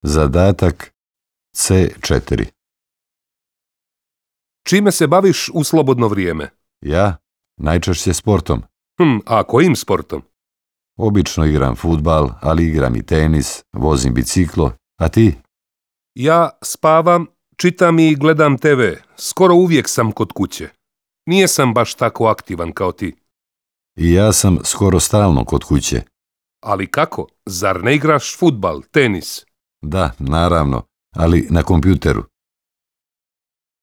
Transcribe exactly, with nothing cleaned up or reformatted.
Zadatak C četiri. Čime se baviš u slobodno vrijeme? Ja? Najčešće sportom. Hm, a kojim sportom? Obično igram fudbal, ali igram i tenis, vozim biciklo, a ti? Ja spavam, čitam i gledam te ve. Skoro uvijek sam kod kuće. Nije sam baš tako aktivan kao ti. I ja sam skoro stalno kod kuće. Ali kako? Zar ne igraš fudbal, tenis? Da, naravno, ali na kompjuteru.